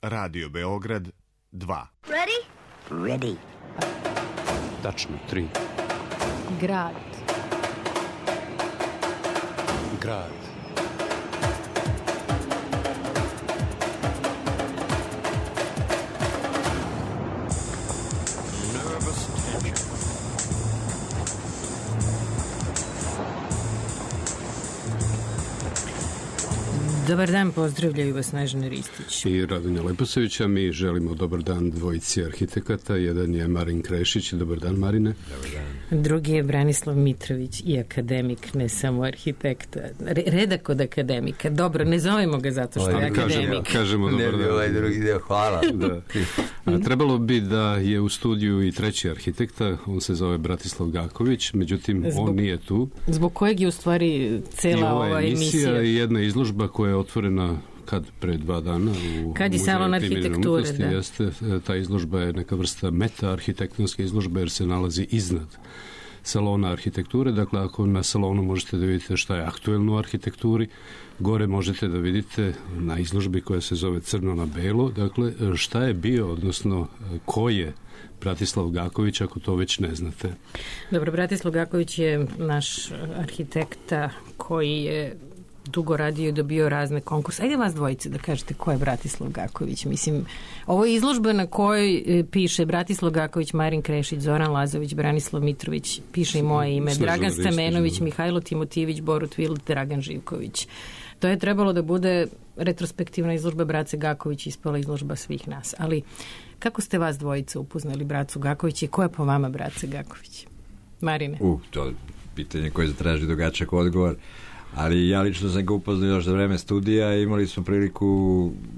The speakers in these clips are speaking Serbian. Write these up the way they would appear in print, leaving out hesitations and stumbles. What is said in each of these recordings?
Radio Beograd 2. Ready? Ready. Tačno 3. Grad. Grad. Nervous tension. Dobar dan, pozdravljaju vas Snežana Ristić I Radonja Leposevića. Mi želimo dobar dan dvojici arhitekata. Jedan je Marin Krešić. Dobar dan, Marine. Dobar dan. Drugi je Branislav Mitrović i akademik, ne samo arhitekta. Redak od akademika. Dobro, ne zovemo ga zato što je akademik. Kažemo dobar dan. Ne bi ovaj drugi deo, hvala. Da. Trebalo bi da je u studiju i treći arhitekta, on se zove Bratislav Gaković, međutim on nije tu. Zbog kojeg je u stvari cela ova emisija i jedna izložba koja je otvorena pre 2 dana u kad je salon arhitekture, da. Jeste, ta izložba je neka vrsta meta-arhitektonske izložbe jer se nalazi iznad salona arhitekture. Dakle, ako na salonu možete da vidite šta je aktuelno u arhitekturi, gore možete da vidite na izložbi koja se zove Crno na belo, dakle, šta je bio, odnosno ko je Bratislav Gaković, ako to već ne znate. Dobro, Bratislav Gaković je naš arhitekta koji je dugo radio i dobio razne konkurse. Ajde vas dvojice da kažete ko je Bratislav Gaković. Mislim, ovo je izložba na kojoj piše Bratislav Gaković, Marin Krešić, Zoran Lazović, Branislav Mitrović, piše i moje ime, Dragan Stamenović, Mihajlo Timotijević, Borut Vilt, Dragan Živković. To je trebalo da bude retrospektivna izložba Brace Gaković, ispala izložba svih nas. Ali kako ste vas dvojice upoznali Bracu Gaković i ko je po vama Brace Gaković? Marine? To je pitanje koje zatraži dugačak odgovor. Ali ja lično sam ga upoznao još za vreme studija i imali smo priliku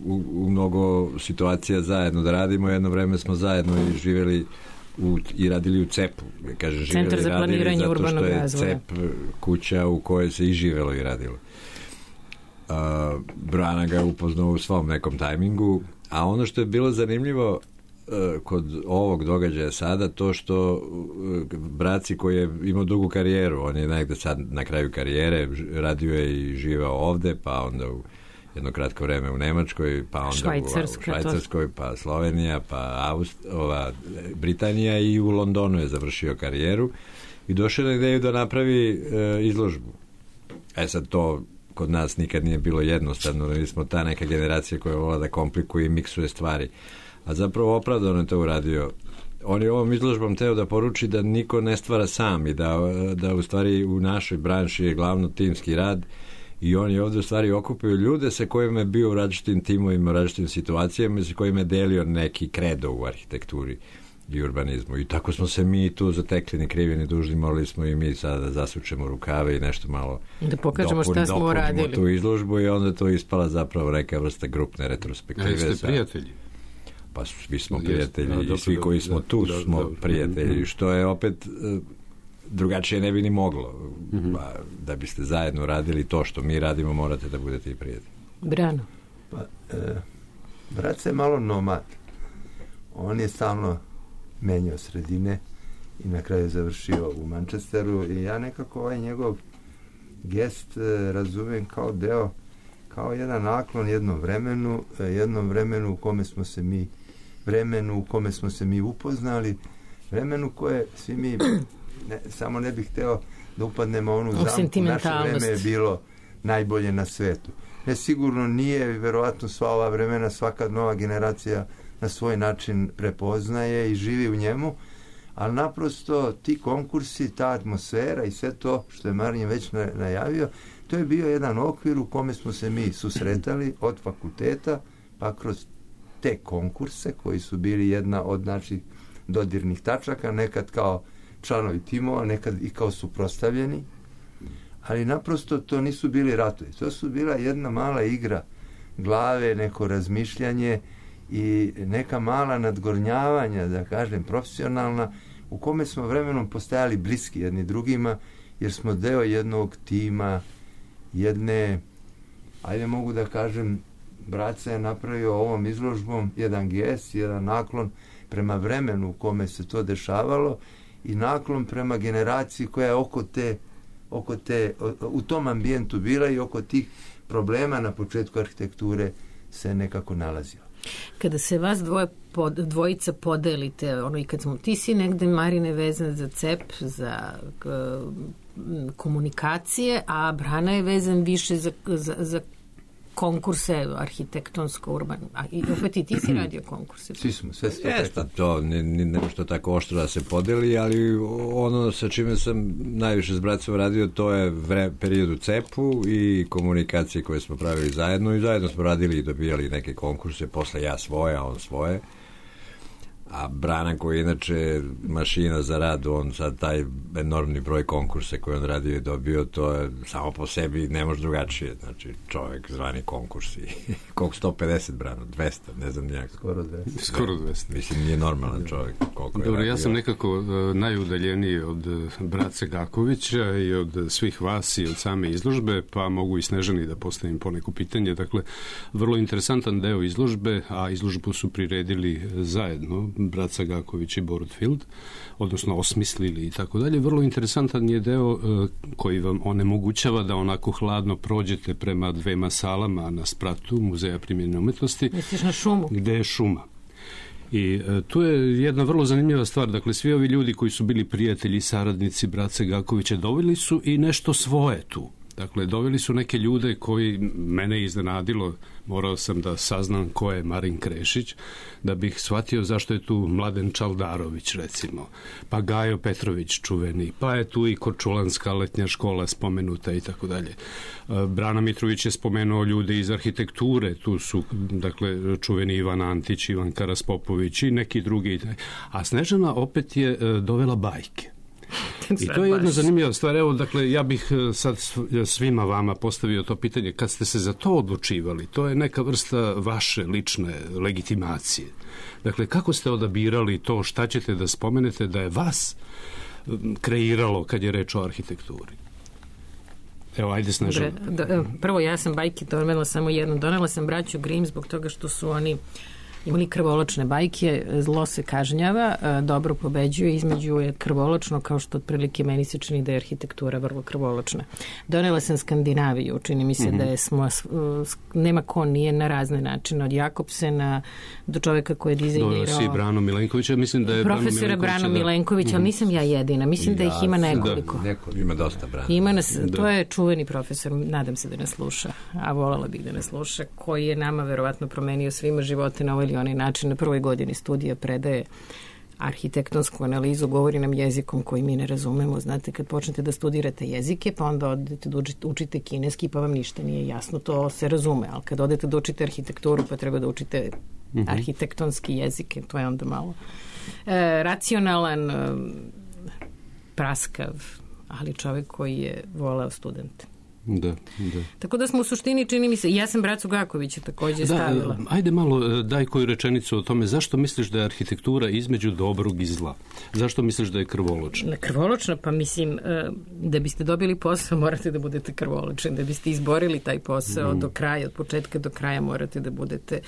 u mnogo situacija zajedno da radimo. Jedno vreme smo zajedno i živjeli i radili u CEP-u. Kaže, Centar za planiranje urbanog razvoja. Zato što je CEP kuća u kojoj se i živjelo i radilo. Brana ga je upoznao u svom nekom tajmingu, a ono što je bilo zanimljivo kod ovog događaja sada, to što Braci koji je imao dugu karijeru, on je negde sad na kraju karijere, radio je i živao ovde, pa onda u jedno kratko vreme u Nemačkoj, pa onda u Švajcarskoj, pa Slovenija, pa Britanija i u Londonu je završio karijeru i došao na ideju da napravi izložbu. Sad to kod nas nikad nije bilo jednostavno, mi smo ta neka generacija koja vola da komplikuje i miksuje stvari. A zapravo opravdano je to uradio. On je ovom izložbom teo da poruči da niko ne stvara sam i da u stvari u našoj branši je glavno timski rad i on je ovdje u stvari okupio ljude sa kojima je bio u različitim timovima, različitim situacijama i sa kojima je delio neki kredo u arhitekturi i urbanizmu. I tako smo se mi tu zatekli, ni krivi ni dužni, morali smo i mi sada da zasučemo rukave i nešto malo da pokažemo šta smo radili. Tu izložbu i onda to ispala zapravo neka vrsta grupne retrospektive. Jeste prijatelji? Pa svi smo prijatelji i svi koji smo tu smo prijatelji, što je opet drugačije ne bi ni moglo. Da biste zajedno radili to što mi radimo, morate da budete i prijatelji. Brano? Pa, Braca je malo nomad. On je stalno menjao sredine i na kraju završio u Manchesteru i ja nekako ovaj njegov gest razumem kao jedan naklon jednom vremenu u kome smo se mi upoznali, vremenu koje svi mi samo ne bih hteo da upadnemo onu zamku, naše vreme je bilo najbolje na svetu. Ne, sigurno nije, verovatno sva ova vremena, svaka nova generacija na svoj način prepoznaje i živi u njemu, ali naprosto ti konkursi, ta atmosfera i sve to što je Marin već najavio, to je bio jedan okvir u kome smo se mi susretali od fakulteta pa kroz te konkurse koji su bili jedna od naših dodirnih tačaka, nekad kao članovi timova, nekad i kao suprotstavljeni, ali naprosto to nisu bili ratovi, to su bila jedna mala igra glave, neko razmišljanje i neka mala nadgornjavanja, da kažem, profesionalna, u kome smo vremenom postajali bliski jedni drugima, jer smo deo jednog tima, jedne, ajde mogu da kažem, Braca je napravio ovom izložbom jedan gest, jedan naklon prema vremenu u kome se to dešavalo i naklon prema generaciji koja je u tom ambijentu bila i oko tih problema na početku arhitekture se nekako nalazila. Kada se vas dvojica podelite, i kad smo, ti si negde, Marine, vezan za CEP, za komunikacije, a Brana je vezan više za konkurse arhitektonsko-urbano. I opet i ti si radio konkurse. Svi smo, sve ste Jeste, to ne što tako oštro da se podeli, ali ono sa čime sam najviše s bracom radio, to je period u CEP-u i komunikacije koje smo pravili zajedno i zajedno smo radili i dobijali neke konkurse, posle ja svoje, a on svoje. A Brana, koji je inače mašina za rad, on sad taj enormni broj konkursa koji on radio i dobio, to je samo po sebi ne može drugačije. Znači, čovjek zvani konkursi. Koliko 150, Brano? 200, ne znam nijak. Skoro 200. Mislim, nije normalan čovjek. Dobro, ja sam nekako najudaljeniji od Brace Gakovića i od svih vas i od same izložbe, pa mogu i Snežani da postavim poneku pitanje. Dakle, vrlo interesantan deo izložbe, a izložbu su priredili zajedno Braca Gaković i Borut Field, odnosno osmislili i tako dalje. Vrlo interesantan je deo koji vam onemogućava da onako hladno prođete prema dvema salama na spratu Muzeja primjenjene umetnosti. Misliš na šumu? Gde je šuma. I tu je jedna vrlo zanimljiva stvar. Dakle, svi ovi ljudi koji su bili prijatelji i saradnici Brace Gakovića doveli su i nešto svoje tu. Dakle, doveli su neke ljude koji mene iznenadilo, morao sam da saznam ko je Marin Krešić, da bih shvatio zašto je tu Mladen Čaldarović, recimo, pa Gajo Petrović čuveni, pa je tu i Korčulanska letnja škola spomenuta i tako dalje. Brana Mitrović je spomenuo ljude iz arhitekture, tu su, dakle, čuveni Ivan Antić, Ivan Karaspopović i neki drugi. A Snežana opet je dovela bajke. I to je jedna zanimljiva stvar. Evo, dakle, ja bih sad svima vama postavio to pitanje. Kad ste se za to odlučivali, to je neka vrsta vaše lične legitimacije. Dakle, kako ste odabirali to, šta ćete da spomenete da je vas kreiralo kad je reč o arhitekturi? Evo, ajde, Snežana. Prvo, ja sam bajke donela samo jednu. Donela sam braću Grimm zbog toga što su oni imali krvoločne bajke, zlo se kažnjava, dobro pobeđuje, između je krvoločno, kao što otprilike meni se čini da je arhitektura vrlo krvoločna. Donela sam Skandinaviju, čini mi se da je nema ko nije na razne načine, od Jakobsena do čoveka koji je dizajnirao. Donela si Brano Milenkovića, mislim da je profesora Brano Milenkovića, ali nisam ja jedina, mislim da ih ima nekoliko. Ima dosta Brano. Ima nas, to je čuveni profesor, nadam se da nas sluša, a voljela bih da nas sluša, koji je nama verovatno promenio svima živote na ovaj onaj način. Na prvoj godini studija predaje arhitektonsku analizu, govori nam jezikom koji mi ne razumemo. Znate, kad počnete da studirate jezike, pa onda odete da učite kineski, pa vam ništa nije jasno, to se razume, ali kad odete da učite arhitekturu, pa treba da učite arhitektonski jezike, to je onda malo racionalan, praskav, ali čovek koji je voleo studente. Da. Tako da smo u suštini, čini mi se, ja sam Bracu Gakovića također stavila. Ajde malo, daj koju rečenicu o tome. Zašto misliš da je arhitektura između dobrog i zla? Zašto misliš da je krvoločna? Krvoločna, pa mislim, da biste dobili posao, morate da budete krvoločni. Da biste izborili taj posao do kraja, od početka do kraja morate da budete.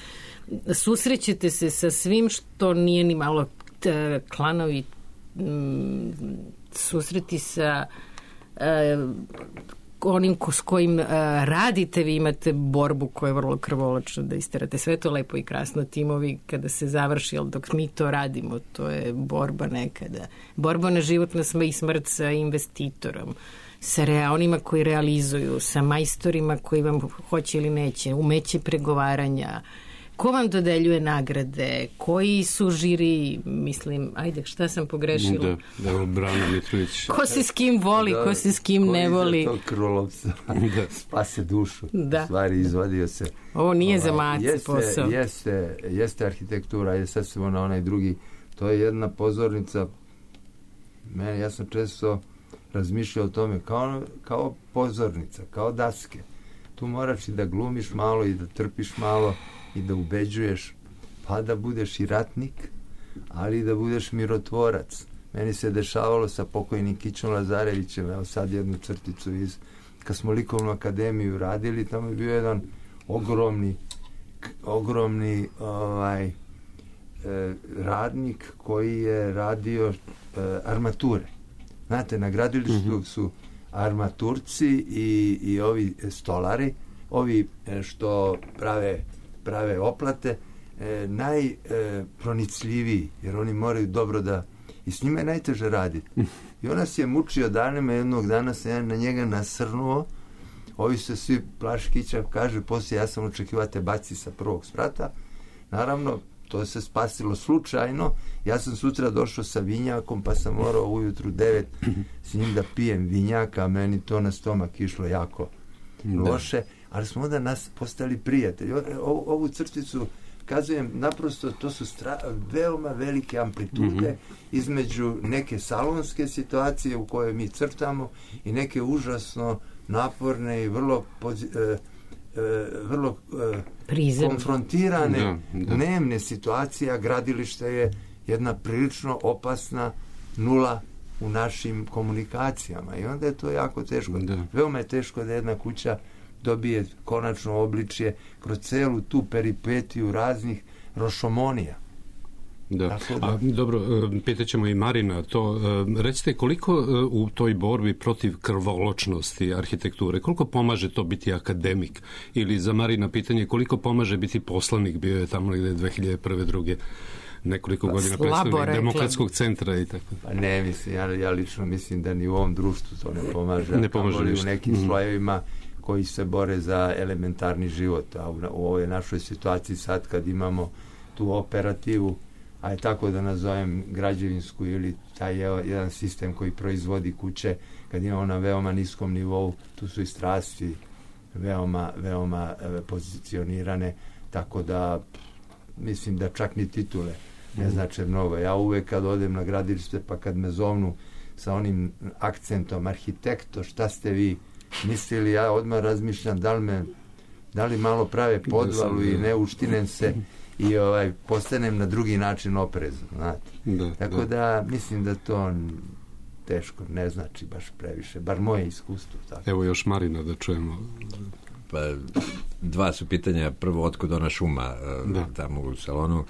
Susrećete se sa svim što nije ni malo klanovi, susreti sa onim s kojim radite, vi imate borbu koja je vrlo krvoločna da isterate. Sve to lepo i krasno, timovi kada se završi, ali dok mi to radimo, to je borba nekada. Borba na život i smrt sa investitorom, sa onima koji realizuju, sa majstorima koji vam hoće ili neće, umeće pregovaranja. Ko vam dodeljuje nagrade? Koji su žiri? Mislim, ajde, šta sam pogrešila? Da, Brano Mitrović. Ko se s kim voli, ko se s kim ne voli? Ko iza tog krvolovca spase dušu. Da. U stvari, izvadio se. Ovo nije za mace posao. Jeste arhitektura, je sad smo na onaj drugi. To je jedna pozornica. Ja sam često razmišljao o tome kao pozornica, kao daske. Tu moraš i da glumiš malo i da trpiš malo i da ubeđuješ, pa da budeš i ratnik, ali i da budeš mirotvorac. Meni se dešavalo sa pokojnim Kićom Lazarevićem, evo sad jednu crticu kad smo likovnu akademiju radili, tamo je bio jedan ogromni radnik koji je radio armature. Znate, na gradilištu su armaturci i ovi stolari, ovi što prave oplate, najpronicljiviji, jer oni moraju dobro da, i s njima je najteže raditi. I on nas je mučio danima, jednog dana sam ja na njega nasrnuo, ovi se svi plaškića, kaže, poslije ja sam očekivao te baci sa prvog sprata. Naravno, to se spasilo slučajno. Ja sam sutra došao sa vinjakom, pa sam morao ujutru 9 s njim da pijem vinjaka, a meni to na stomak išlo jako loše, ali smo onda nas postali prijatelji. Ovu crticu kazujem, naprosto to su veoma velike amplitude između neke salonske situacije u kojoj mi crtamo i neke užasno naporne i vrlo konfrontirane dnevne situacije, a gradilište je jedna prilično opasna nula u našim komunikacijama i onda je to jako teško. Veoma je teško da jedna kuća dobije konačno obličje kroz celu tu peripetiju raznih rošomonija. Da. A, dobro, pitaćemo i Marina to. Recite, koliko u toj borbi protiv krvoločnosti arhitekture, koliko pomaže to biti akademik? Ili za Marina pitanje, koliko pomaže biti poslanik? Bio je tamo negde 2001. nekoliko godina predstavnik Demokratskog centra i tako. Pa ne, mislim, ja lično mislim da ni u ovom društvu to ne pomaže. Ne pomaže u nekim slojevima koji se bore za elementarni život. A u ovoj našoj situaciji sad kad imamo tu operativu, a je tako da nazovem građevinsku ili taj jedan sistem koji proizvodi kuće, kad imamo na veoma niskom nivou, tu su i strasti veoma pozicionirane, tako da mislim da čak ni titule ne znače mnogo. Ja uvek kad odem na gradilište, pa kad me zovnu sa onim akcentom arhitekto, šta ste vi mislili, ja odmah razmišljam da li malo prave podvalu i ne uštinem se i postanem na drugi način oprezan, znate. Tako da mislim da to teško ne znači baš previše, bar moje iskustvo. Tako. Evo još Marina da čujemo. Pa, dva su pitanja. Prvo, otkud ona šuma tamo u salonu.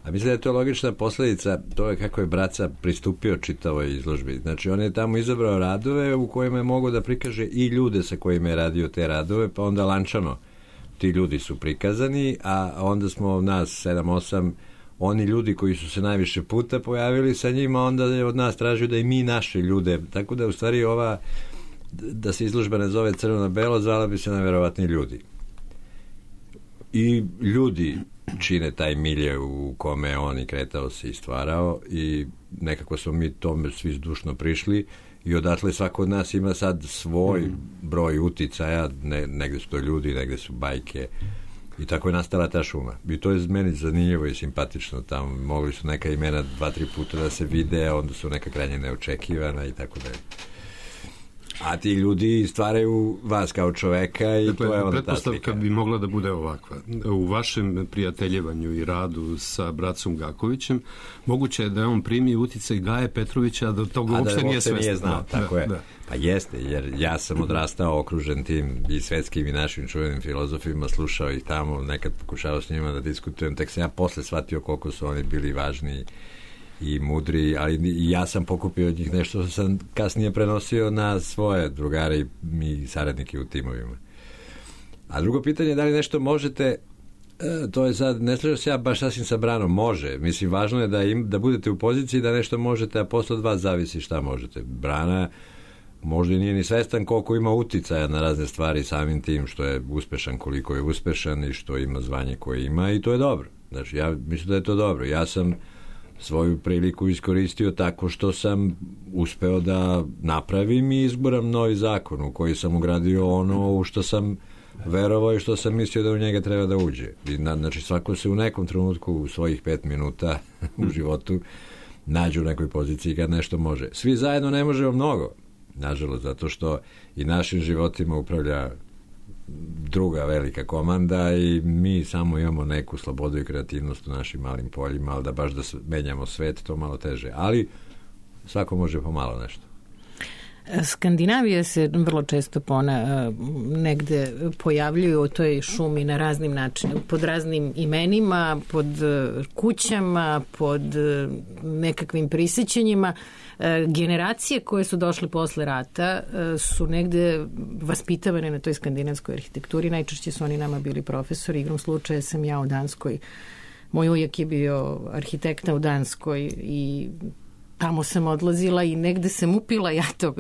A mislim da je to logična posljedica toga kako je Braca pristupio čitavoj izložbi. Znači, on je tamo izabrao radove u kojima je mogao da prikaže i ljude sa kojima je radio te radove, pa onda lančano ti ljudi su prikazani, a onda smo nas 7-8 oni ljudi koji su se najviše puta pojavili sa njima, onda je od nas tražio da i mi naše ljude, tako da u stvari ova, da se izložba ne zove crno na belo, zvala bi se najverovatni ljudi. I ljudi čine taj milje u kome on i kretao se i stvarao i nekako smo mi tome svi zdušno prišli i odatle svako od nas ima sad svoj broj uticaja, negde su to ljudi, negde su bajke i tako je nastala ta šuma. I to je meni zanimljivo i simpatično. Tamo mogli su neka imena 2-3 puta da se vide, onda su neka krajnje neočekivana i tako da je. A ti ljudi stvaraju vas kao čoveka i dakle, to je onda ta slika. Pretpostavka bi mogla da bude ovakva. U vašem prijateljevanju i radu sa Bracom Gakovićem moguće je da on primi uticaj Gaje Petrovića, da toga uopšte nije svestan. Znao, tako je. Pa jeste, jer ja sam odrastao okružen tim i svetskim i našim čuvenim filozofima, slušao ih tamo, nekad pokušao s njima da diskutujem, tek sam ja posle shvatio koliko su oni bili važni i mudri, ali ja sam pokupio od njih nešto što sam kasnije prenosio na svoje drugare i saradnike u timovima. A drugo pitanje je da li nešto možete, to je sad, ne slažem se ja baš sasvim sa Branom, može, mislim važno je da budete u poziciji da nešto možete, a posle od vas zavisi šta možete. Brana možda nije ni svestan koliko ima uticaja na razne stvari samim tim što je uspešan koliko je uspešan i što ima zvanje koje ima i to je dobro. Znači ja mislim da je to dobro. Ja sam svoju priliku iskoristio tako što sam uspeo da napravim i izboram novi zakon u koji sam ugradio ono u što sam verovao i što sam mislio da u njega treba da uđe. Znači svako se u nekom trenutku u svojih 5 minuta u životu nađe u nekoj poziciji kad nešto može. Svi zajedno ne možemo mnogo, nažalost, zato što i našim životima upravlja druga velika komanda i mi samo imamo neku slobodu i kreativnost u našim malim poljima, ali da baš da menjamo svet, to malo teže. Ali svako može pomalo nešto. Skandinavija se vrlo često negde pojavljuju u toj šumi na raznim načinima, pod raznim imenima, pod kućama, pod nekakvim prisjećanjima. Generacije koje su došle posle rata su negde vaspitavane na toj skandinavskoj arhitekturi. Najčešće su oni nama bili profesori. Igrom slučaja sam ja u Danskoj Moj ujak je bio arhitekta u Danskoj i tamo sam odlazila i negde sam upila ja to.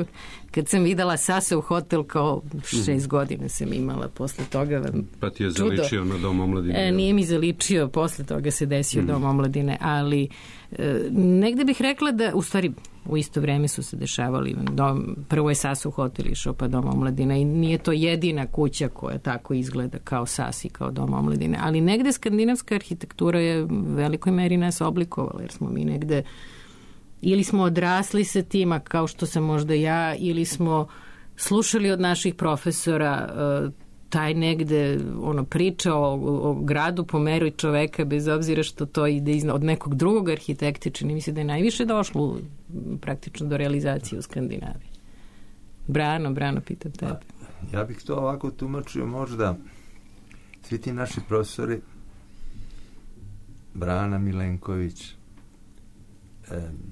Kad sam videla Sasa u hotel, kao 6 godina sam imala posle toga. Pa ti je zaličio na Dom omladine? Nije mi zaličio, posle toga se desio Dom omladine, ali negde bih rekla da, u stvari, u isto vreme su se dešavali. Prvo je Sasa u hotel išao, pa Dom omladine, i nije to jedina kuća koja tako izgleda kao Sas i kao Dom omladine, ali negde skandinavska arhitektura je u velikoj meri nas oblikovala, jer smo mi negde ili smo odrasli sa tima, kao što sam možda ja, ili smo slušali od naših profesora taj negde priča o gradu po meru čoveka, bez obzira što to ide od nekog drugog arhitekta. Čini mi se da je najviše došlo praktično do realizacije u Skandinaviji. Brano, pitam tebe. Ja bih to ovako tumačio, možda svi ti naši profesori, Brana Milenković,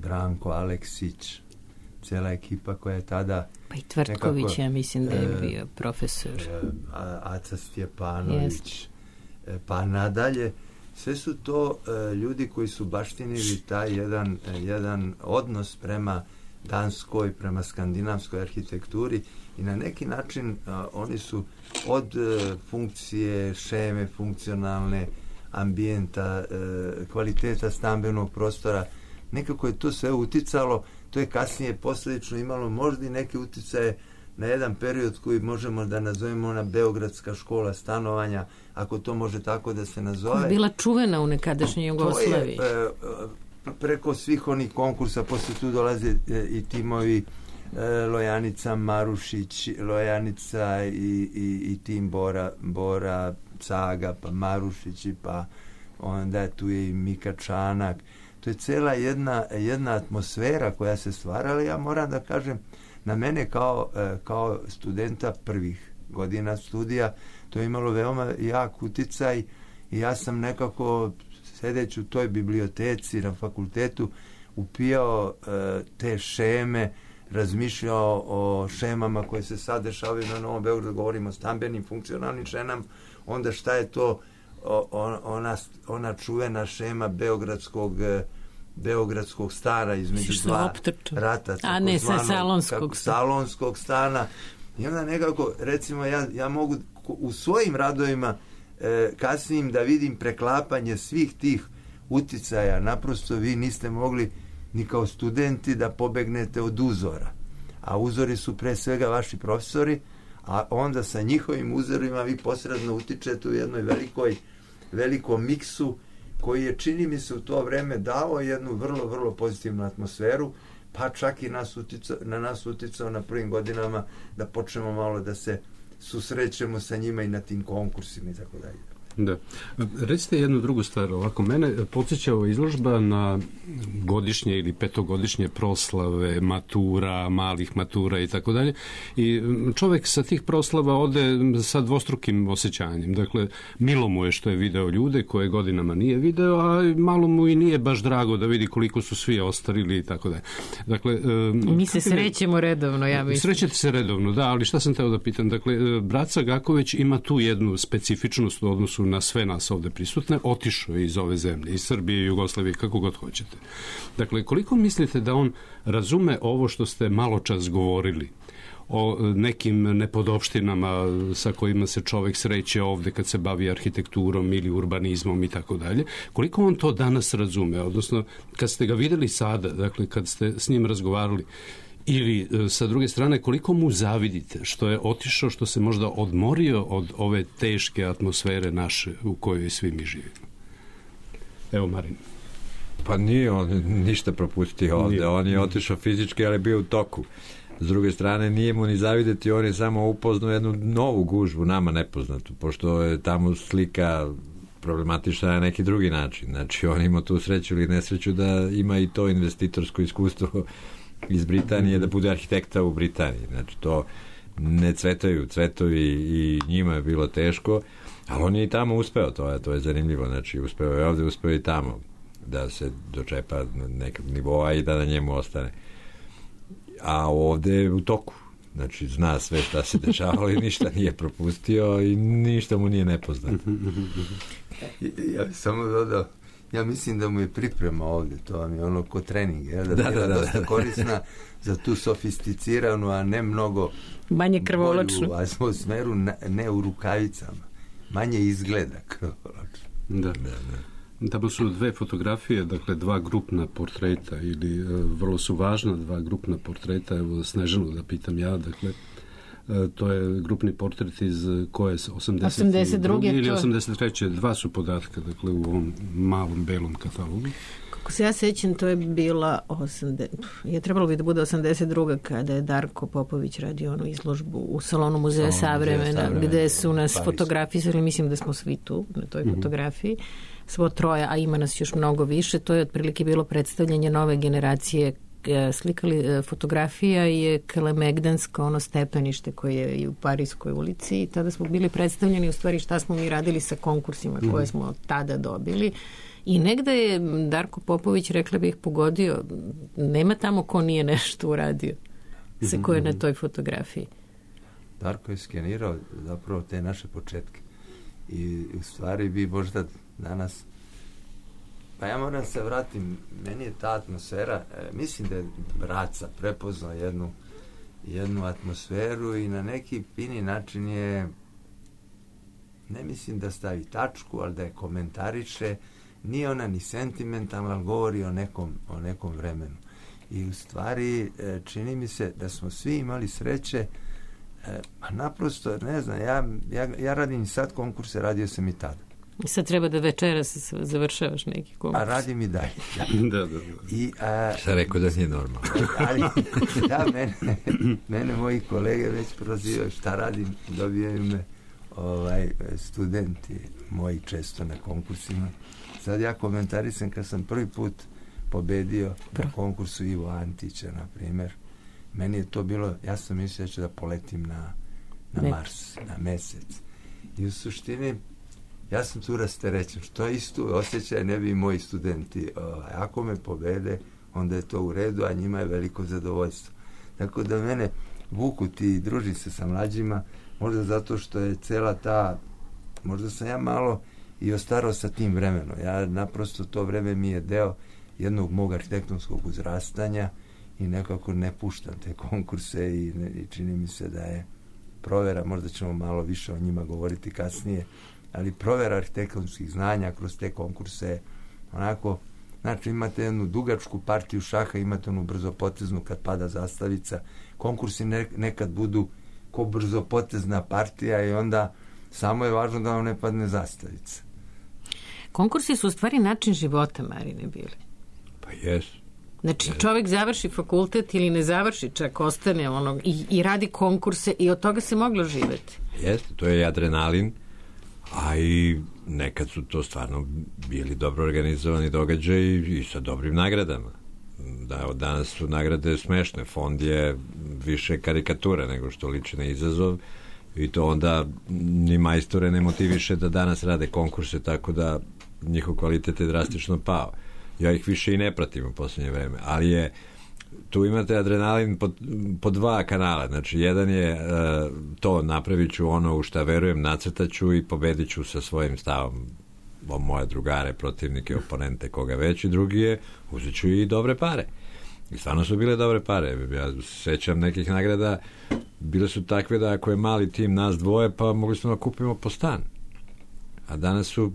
Branko Aleksić, cijela ekipa koja je tada... Pa i Tvrtković, nekako, ja mislim da je bio profesor. Aca Stjepanović, pa nadalje. Sve su to ljudi koji su baštinili taj jedan odnos prema danskoj, prema skandinavskoj arhitekturi i na neki način oni su od funkcije, šeme, funkcionalne, ambijenta, kvaliteta stambenog prostora, nekako je to sve uticalo. To je kasnije posljedično imalo možda i neke uticaje na jedan period koji možemo da nazovemo ona Beogradska škola stanovanja, ako to može tako da se nazove. Bila čuvena u nekadašnjoj Jugoslaviji. Preko svih onih konkursa, posle tu dolaze i timovi Lojanica Marušić, Lojanica i tim Bora Caga, pa Marušić, pa onda tu je i Mika Čanak. To je cela jedna atmosfera koja se stvarala. Ja moram da kažem, na mene kao studenta prvih godina studija, to je imalo veoma jak uticaj i ja sam nekako, sedeći u toj biblioteci na fakultetu, upijao te šeme, razmišljao o šemama koje se sad dešavaju na Novom Beogradu, govorimo o stambenim, funkcionalnim šemama, onda šta je to ona čuvena šema beogradskog stana između dva rata, a ne sa salonskog stana. I onda nekako, recimo, ja mogu u svojim radovima kasnijim da vidim preklapanje svih tih uticaja. Naprosto vi niste mogli ni kao studenti da pobegnete od uzora. A uzori su pre svega vaši profesori, a onda sa njihovim uzorima vi posredno utičete u jednoj velikom miksu koji je, čini mi se, u to vreme dao jednu vrlo, vrlo pozitivnu atmosferu, pa čak i na nas uticao na prvim godinama da počnemo malo da se susrećemo sa njima i na tim konkursima i tako dalje. Da. Recite jednu drugu stvar. Ovako, mene podsjeća ova izložba na godišnje ili petogodišnje proslave matura, malih matura i tako dalje. I čovjek sa tih proslava ode sa dvostrukim osjećanjem. Dakle, milo mu je što je video ljude koje godinama nije video, a malo mu i nije baš drago da vidi koliko su svi ostarili i tako dalje. Dakle, mi se srećemo redovno, ja mislim. Srećete se redovno, da, ali šta sam teo da pitam? Dakle, brat Sagaković ima tu jednu specifičnost u odnosu na sve nas ovde prisutne, otišao je iz ove zemlje, iz Srbije, Jugoslavije, kako god hoćete. Dakle, koliko mislite da on razume ovo što ste malo čas govorili o nekim nepodopštinama sa kojima se čovjek sreće ovde kad se bavi arhitekturom ili urbanizmom i tako dalje? Koliko on to danas razume? Odnosno, kad ste ga videli sada, dakle, kad ste s njim razgovarali, ili, sa druge strane, koliko mu zavidite što je otišao, što se možda odmorio od ove teške atmosfere naše u kojoj svi mi živimo? Evo, Marin. Pa nije on ništa propustio ovde. On je otišao fizički, ali bio u toku. S druge strane, nije mu ni zavideti, on je samo upoznao jednu novu gužvu, nama nepoznatu, pošto je tamo slika problematična na neki drugi način. Znači, on ima tu sreću ili nesreću da ima i to investitorsko iskustvo iz Britanije, da bude arhitekta u Britaniji. Znači, to ne cvetovi i njima je bilo teško, ali on je i tamo uspeo, to je zanimljivo. Znači, uspeo je ovde, uspeo i tamo da se dočepa nekog nivoa i da na njemu ostane. A ovde je u toku. Znači, zna sve šta se dešavalo i ništa nije propustio i ništa mu nije nepoznato. Ja bih samo dodao, Ja mislim da mu je priprema ovdje, to vam je ono ko trening, da je dosta korisna za tu sofisticiranu, a ne mnogo manje krvoločnu atmosferu, ne u rukavicama. Manje izgleda krvoločno. Da. Tamo su dve fotografije, dakle 2 grupna portreta, ili vrlo su važna 2 grupna portreta. Evo Snežanu da pitam ja, dakle to je grupni portret iz koje 82. ili 83. 2 su podatka, dakle u ovom malom belom katalogu. Kako se ja sećam, to je bila trebalo bi da bude 82. kada je Darko Popović radio onu izložbu u salonu Muzeja Savremena, gde su nas fotografisali, mislim da smo svi tu na toj fotografiji, svo troje, a ima nas još mnogo više. To je otprilike bilo predstavljanje nove generacije. Slikali fotografija je Kalemegdansko, ono stepenište koje je i u Parijskoj ulici, i tada smo bili predstavljeni u stvari šta smo mi radili sa konkursima koje smo tada dobili. I negde je Darko Popović, rekla bih, pogodio, nema tamo ko nije nešto uradio se ko je na toj fotografiji. Darko je skenirao zapravo te naše početke i u stvari bi možda danas, pa ja moram se vratim, meni je ta atmosfera, mislim da je Braca prepoznao jednu atmosferu i na neki fini način je, ne mislim da stavi tačku, ali da je komentariše. Nije ona ni sentimentalna, ali govori o nekom vremenu. I u stvari čini mi se da smo svi imali sreće, a naprosto, ne znam, ja radim i sad konkurse, radio sam i tada. I sad treba da večeras završavaš neki konkurs. A radim i dalje. Da. Šta rekao da nije normalno? Ali, mene moji kolege već prozivaju šta radim, dobijaju me studenti moji često na konkursima. Sad ja komentarišem kad sam prvi put pobedio na konkursu Ivo Antića, na primjer. Meni je to bilo, ja sam mislio da ću da poletim na Mars, na mesec. I u suštini ja sam tu rasterećen, što je isto osjećaj ne bi i moji studenti. Ako me pobede, onda je to u redu, a njima je veliko zadovoljstvo. Tako da mene vuku ti, družim se sa mlađima, možda zato što je cela ta, možda sam ja malo i ostarao sa tim vremenom. Ja naprosto to vreme mi je deo jednog mog arhitektonskog uzrastanja i nekako ne puštam te konkurse i čini mi se da je provera, možda ćemo malo više o njima govoriti kasnije, ali provera arhitektonskih znanja kroz te konkurse onako, znači imate jednu dugačku partiju šaha, imate onu brzopoteznu kad pada zastavica, konkursi nekad budu ko brzopotezna partija i onda samo je važno da vam ne padne zastavica. Konkursi su u stvari način života, Marine, bili. Pa jesu. Znači, čovjek završi fakultet ili ne završi, čak ostane i radi konkurse i od toga se moglo živjeti. Jeste, to je adrenalin, a i nekad su to stvarno bili dobro organizovani događaji i sa dobrim nagradama. Danas su nagrade smešne, fond je više karikatura nego što liči na izazov i to onda ni majstore ne motiviše da danas rade konkurse, tako da njihov kvalitet je drastično pao. Ja ih više i ne pratim u posljednje vreme, ali tu imate adrenalin po 2 kanala. Znači, jedan je to napravit ću ono u šta verujem, nacrtaću i pobedit ću sa svojim stavom moje drugare, protivnike, oponente, koga već, i drugi je uzet ću i dobre pare. I stvarno su bile dobre pare. Ja sećam nekih nagrada, bile su takve da ako je mali tim nas dvoje, pa mogli smo da kupimo po stan. A danas su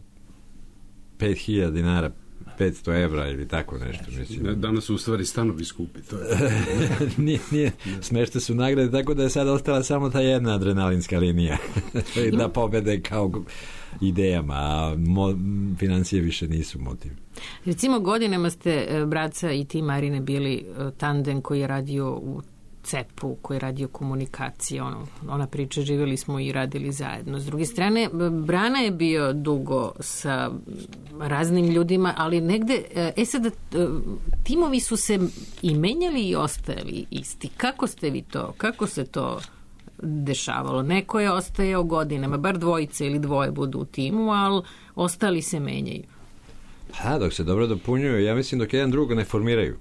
5.000 dinara, 500 evra ili tako nešto. Mislim. Danas su u stvari stanovi skupi. To je. nije. Smešne su nagrade, tako da je sad ostala samo ta jedna adrenalinska linija. Da pobede kao idejama, a financije više nisu motiv. Recimo, godinama ste, Braca i ti, Marine, bili tandem koji je radio u CEP-u, koji je radio komunikacije, ona priča, živjeli smo i radili zajedno. S druge strane, Brana je bio dugo sa raznim ljudima, ali negde, sada, timovi su se i menjali i ostajali isti. Kako se to dešavalo? Neko je ostajao godinama, bar dvojice ili dvoje budu u timu, ali ostali se menjaju. Dok se dobro dopunjuju, ja mislim dok jedan drugo ne formiraju.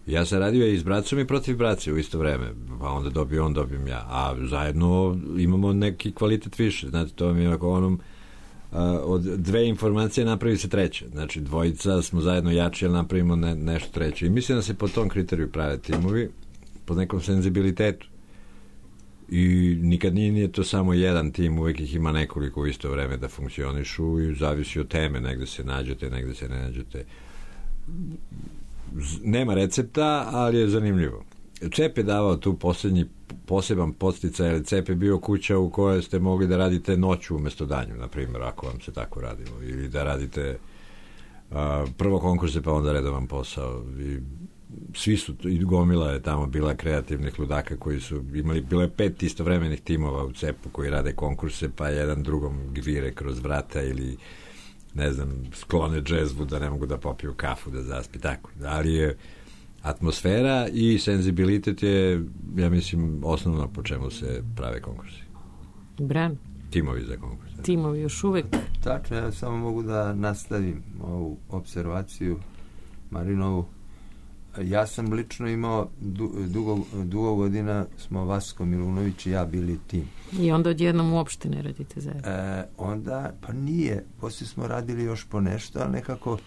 Ja sam radio i s Bracom i protiv Brace u isto vreme, pa onda dobio on, dobijem ja, a zajedno imamo neki kvalitet više. Znate, to mi je onom od dve informacije napravi se treće. Znači, dvojica smo zajedno jači, ali napravimo nešto treće. I mislim da se po tom kriteriju prave timovi, po nekom senzibilitetu. I nikad nije to samo jedan tim, uvek ih ima nekoliko u isto vreme da funkcionišu i zavisi od teme, negde se nađete, negde se ne nađete. Nema recepta, ali je zanimljivo. CEP je davao tu poslednji poseban podsticaj, ali CEP je bio kuća u kojoj ste mogli da radite noću umesto danju, na primjer, ako vam se tako radilo, ili da radite prvo konkurse pa onda redovan posao. I svi su, i gomila je tamo bila kreativnih ludaka koji su imali, bilo je 5 istovremenih timova u CEP-u koji rade konkurse, pa jedan drugom gvire kroz vrata ili ne znam, sklone džezvu da ne mogu da popiju kafu, da zaspi, tako. Ali je atmosfera i senzibilitet je, ja mislim, osnovno po čemu se prave konkursi. Bran? Timovi za konkurs. Timovi još uvek. Tačno, ja samo mogu da nastavim ovu observaciju Marinovu. Ja sam lično imao dugo godina smo Vasko Milunović i ja bili tim. I onda odjednom uopšte ne radite zajedno? Onda, pa nije. Poslije smo radili još po nešto, ali nekako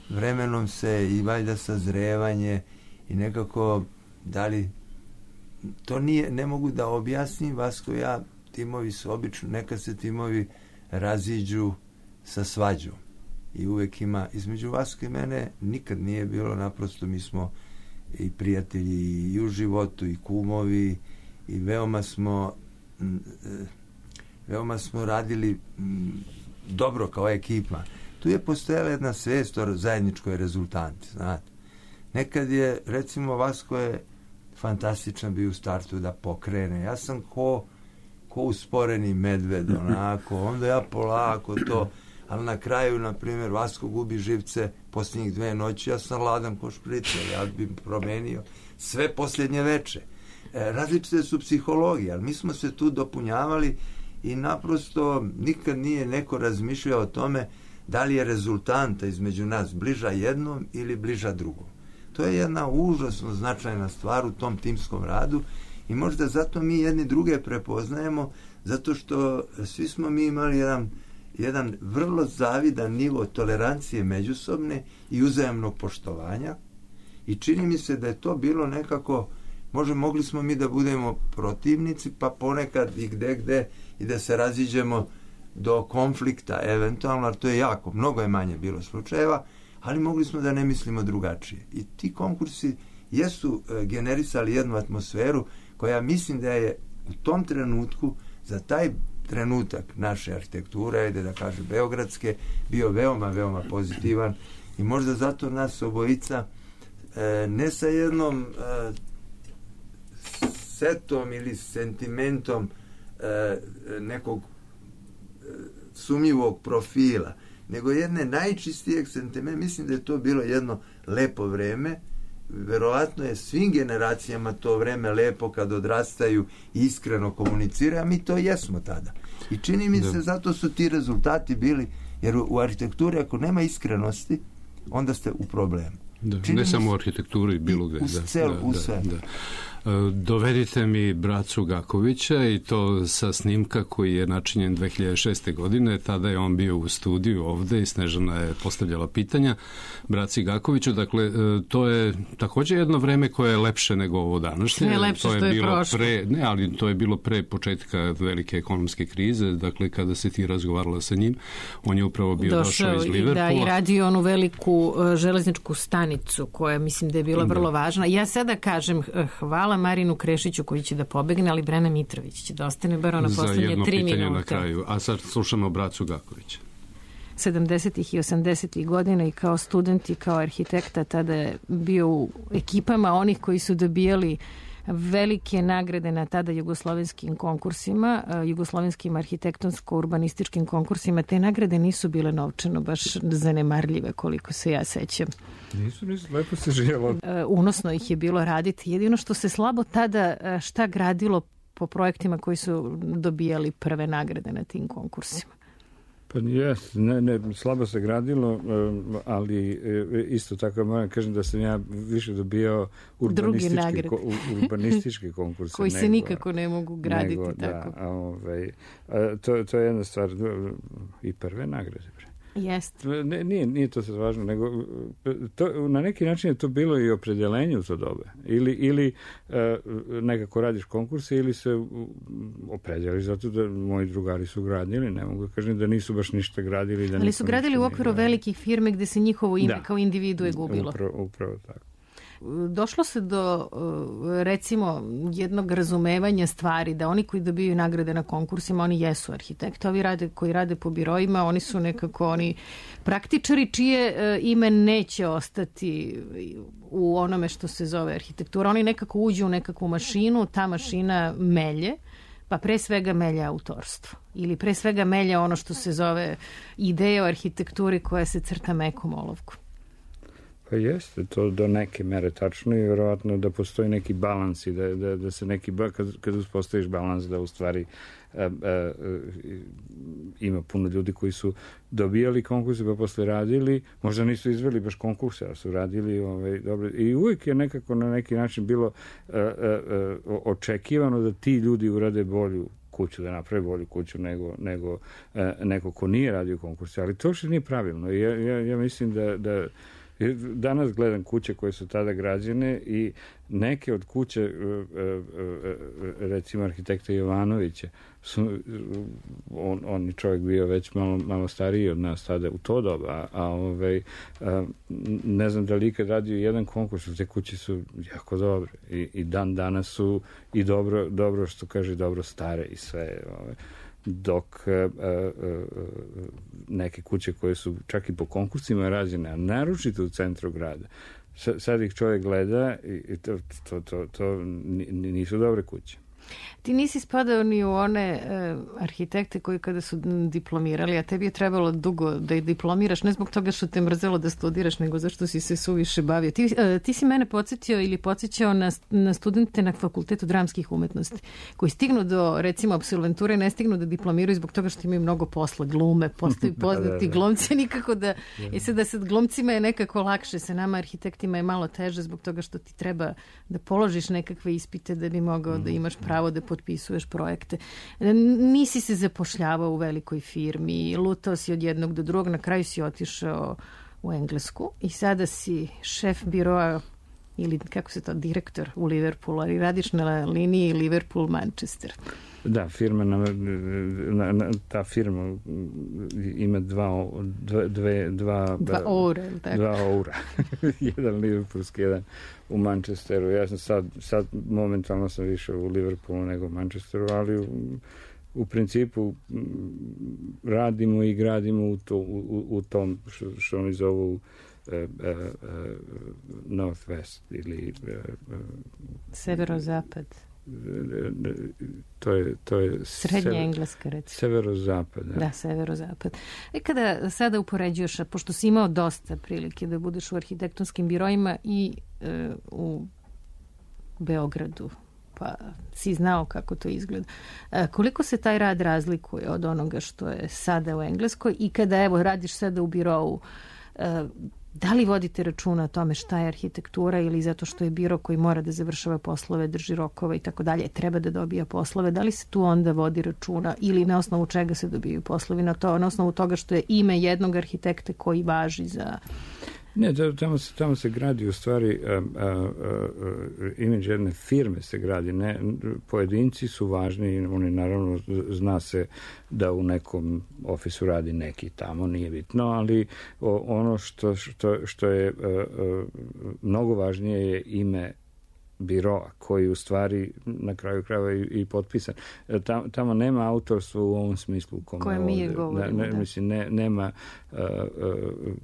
vremenom se i valjda sazrevanje i nekako da li to nije, ne mogu da objasnim. Vasko i ja, timovi su obično, nekad se timovi raziđu sa svađom i uvek ima, između Vasko i mene nikad nije bilo, naprosto mi smo i prijatelji i u životu i kumovi i veoma smo radili dobro kao ekipa. Tu je postojala jedna svest o zajedničkoj rezultanti, znate. Nekad je, recimo, Vasko je fantastičan bio u startu da pokrene. Ja sam ko usporeni medved, onako, onda ja polako to, ali na kraju, na primjer, Vasko gubi živce posljednjih 2 noći, ja sam ladan ko špricer, ja bi promenio sve posljednje veče. Različite su psihologije, ali mi smo se tu dopunjavali i naprosto nikad nije neko razmišljao o tome da li je rezultanta između nas bliža jednom ili bliža drugom. To je jedna užasno značajna stvar u tom timskom radu i možda zato mi jedni druge prepoznajemo, zato što svi smo mi imali jedan vrlo zavidan nivo tolerancije međusobne i uzajamnog poštovanja i čini mi se da je to bilo nekako, mogli smo mi da budemo protivnici, pa ponekad i gde i da se raziđemo do konflikta eventualno, ali to je jako, mnogo je manje bilo slučajeva, ali mogli smo da ne mislimo drugačije. I ti konkursi jesu generisali jednu atmosferu koja mislim da je u tom trenutku, za taj trenutak naše arhitekture, ajde da kažem beogradske, bio veoma, veoma pozitivan i možda zato nas obojica ne sa jednom setom ili sentimentom nekog sumnjivog profila, nego jedne najčistijeg sentimenta. Mislim da je to bilo jedno lepo vreme. Verovatno je svim generacijama to vreme lepo kad odrastaju i iskreno komuniciraju, a mi to jesmo tada. I čini mi se, zato su ti rezultati bili, jer u arhitekturi ako nema iskrenosti, onda ste u problemu. Da, ne samo u arhitekturi, bilo gde. U sve. Dovedite mi bracu Gakovića i to sa snimka koji je načinjen 2006. godine. Tada je on bio u studiju ovde i Snežana je postavljala pitanja braci Gakoviću. Dakle, to je također jedno vreme koje je lepše nego ovo današnje. Ne lepše to je što je bilo prošlo. ali to je bilo pre početka velike ekonomske krize. Dakle, kada se ti razgovarala sa njim, on je upravo bio došao iz Liverpoola. I radio onu veliku železničku stanicu koja mislim da je bila vrlo važna. Ja sada kažem hvala Marinu Krešiću koji će da pobegne, ali Brena Mitrović će da ostane bar ona poslednje 3 minuta. Na kraju. A sad slušamo bracu Gakovića. 70. i 80. godina i kao student i kao arhitekta tada je bio u ekipama onih koji su dobijali velike nagrade na tada jugoslovenskim konkursima, jugoslovenskim arhitektonsko-urbanističkim konkursima. Te nagrade nisu bile novčano baš zanemarljive koliko se ja sećam. Nisu, lepo se živjelo. Unosno ih je bilo raditi. Jedino što se slabo tada šta gradilo po projektima koji su dobijali prve nagrade na tim konkursima. Pa slabo se gradilo, ali isto tako moram kažem da sam ja više dobio urbanistički konkurs. Koji se nikako ne mogu graditi tako. To je jedna stvar i prve nagrade. Jeste. Nije to sad važno, nego na neki način je to bilo i opredeljenje u to dobe. Ili nekako radiš konkurse ili se opredjeliš zato da moji drugari su gradili, ne mogu da kažem da nisu baš ništa gradili. Ali su gradili u okviru velikih firme gde se njihovo ime kao individue gubilo. Upravo tako. Došlo se do, recimo, jednog razumevanja stvari, da oni koji dobiju nagrade na konkursima, oni jesu arhitekti. Ovi koji rade po biroima, oni su nekako oni praktičari čije ime neće ostati u onome što se zove arhitektura. Oni nekako uđu u nekakvu mašinu, ta mašina melje, pa pre svega melje autorstvo. Ili pre svega melje ono što se zove ideja o arhitekturi koja se crta mekom olovkom. Pa jeste, to do neke mere tačno i vjerovatno da postoji neki balans i da se neki, kad uspostaviš balans da u stvari ima puno ljudi koji su dobijali konkurse pa posle radili, možda nisu izveli baš konkurse, ali su radili dobro. I uvijek je nekako na neki način bilo očekivano da ti ljudi urade bolju kuću, da napravi bolju kuću nego neko ko nije radio konkurse, ali to što nije pravilno. Ja mislim da danas gledam kuće koje su tada građene i neke od kuće, recimo arhitekta Jovanovića, on je čovjek bio već malo stariji od nas tada u to doba, ne znam da li ikad radio jedan konkurs, te kuće su jako dobre i dan danas su i dobro što kaže, dobro stare i sve, dok neke kuće koje su čak i po konkursima rađene, a naročito u centru grada, sad ih čovjek gleda i to nisu dobre kuće. Ti nisi spadao ni u one arhitekte koji kada su diplomirali, a tebi je trebalo dugo da ih diplomiraš, ne zbog toga što te mrzelo da studiraš, nego zašto si se suviše bavio. Ti si mene podsjetio ili podsjećao na studente na Fakultetu dramskih umetnosti, koji stignu do, recimo, apsolventure, ne stignu da diplomiraju zbog toga što imaju mnogo posla, glume, postaju poznati glumci, nikako da... I sad glumcima je nekako lakše, sa nama arhitektima je malo teže zbog toga što ti treba da položiš nekakve ispite da bi mogao da imaš pravo da potpisuješ projekte. Nisi se zapošljavao u velikoj firmi, lutao si od jednog do drugog, na kraju si otišao u Englesku i sada si šef biroa ili kako se to, direktor u Liverpoolu, ali radiš na liniji Liverpool-Manchester. Da, ta firma ima dva oura. Jedan liverpoolski, jedan u Manchesteru. Ja sam sad momentalno sam više u Liverpoolu nego u Manchesteru, ali u principu radimo i gradimo u tom što oni zovu Northwest ili severozapad. To je srednja engleska, recimo. Severozapad. Da, severozapad. Kada sada upoređuješ, pošto si imao dosta prilike da budeš u arhitektonskim biroima i u Beogradu, pa si znao kako to izgleda. Koliko se taj rad razlikuje od onoga što je sada u Engleskoj i kada, evo, radiš sada u birovu, da li vodite računa o tome šta je arhitektura ili zato što je biro koji mora da završava poslove, drži rokove i tako dalje, treba da dobija poslove, da li se tu onda vodi računa ili na osnovu čega se dobijaju poslovi, na osnovu toga što je ime jednog arhitekta koji važi za... Ne, tamo se gradi u stvari imidž jedne firme se gradi. Ne, pojedinci su važni, oni naravno zna se da u nekom ofisu radi neki tamo, nije bitno, ali ono što je mnogo važnije je ime biroa koji u stvari na kraju krajeva i potpisan. Tamo nema autorstva u ovom smislu koje mi govorimo. Nema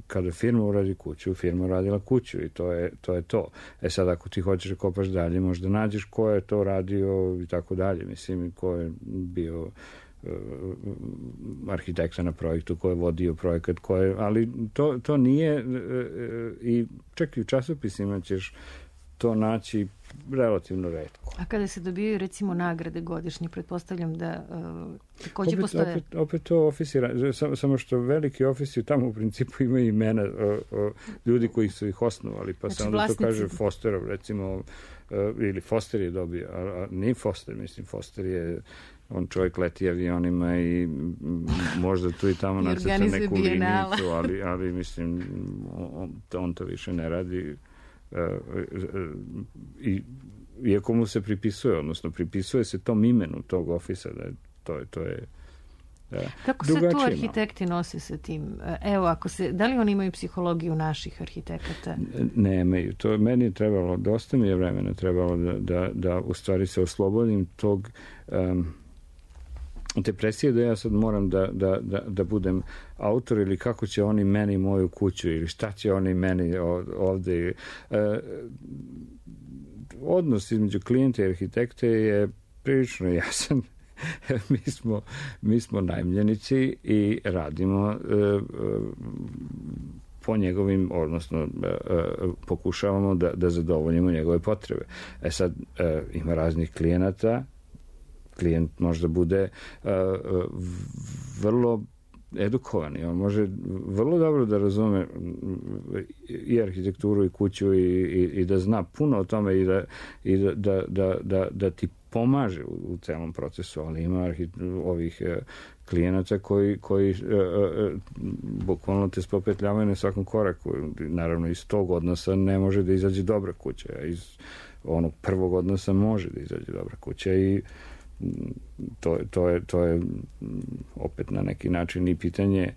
kada firma uradi kuću, firma uradila kuću i to je to. Sad ako ti hoćeš da kopaš dalje, možda nađeš ko je to radio i tako dalje. Mislim, ko je bio arhitekta na projektu, ko je vodio projekat, ali to nije i čak i u časopisima ćeš to naći relativno retko. A kada se dobijaju recimo nagrade godišnje, pretpostavljam da takođe postoje... Opet to ofisi, samo što veliki ofisi tamo u principu imaju imena ljudi koji su ih osnovali, pa znači, se onda vlasnici... to kaže Fosterov, recimo, ili Foster je dobio, a nije Foster, mislim, Foster je on čovjek leti avionima i možda tu i tamo nacrta neku linicu, ali mislim, on to više ne radi. Iako mu se pripisuje, odnosno pripisuje se tom imenu tog ofisa, da to je kako se tu arhitekti nose sa tim? Evo, da li oni imaju psihologiju naših arhitekata? Nemaju. Meni je trebalo, dosta mi je vremena trebalo da u stvari se oslobodim tog depresije da ja sad moram da budem autor ili kako će oni meni moju kuću ili šta će oni meni ovde. Odnos između klijenta i arhitekte je prilično jasan. Mi smo najmljenici i radimo po njegovim, odnosno pokušavamo da zadovoljimo njegove potrebe. Sad, ima raznih klijenata. Klijent možda bude vrlo edukovan i on može vrlo dobro da razume i arhitekturu i kuću i da zna puno o tome i da ti pomaže u celom procesu, ali ima ovih klijenata koji bukvalno te spopetljavaju na svakom koraku. Naravno, iz tog odnosa ne može da izađe dobra kuća, a iz onog prvog odnosa može da izađe dobra kuća i to je opet na neki način i pitanje